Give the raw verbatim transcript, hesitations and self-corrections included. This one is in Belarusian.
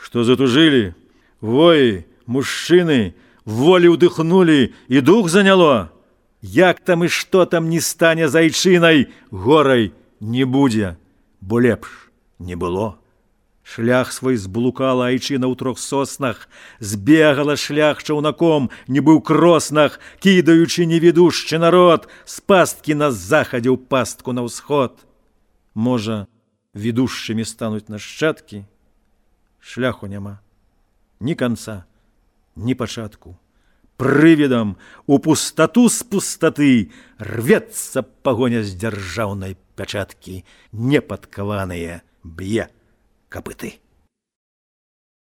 Што затужылі, воі, мужчыны, волі ўдыхнулі і дух заняло. Як там і што там не стане з айчынай, горай не будзе, бо лепш не было. Шлях свой зблукала айчына ў трох соснах, збегала шлях чаўнаком, нібы ў кроснах, кідаючы невідушчы народ з пасткі на захадзе ў пастку на ўсход. Можа, ведушчымі стануць нашчадкі? Шляху няма, ні канца, ні пачатку. Прывідам у пустату з пустаты рвецца пагоня з дзяржаўнай пячаткі, непадкаваныя б'е капыты.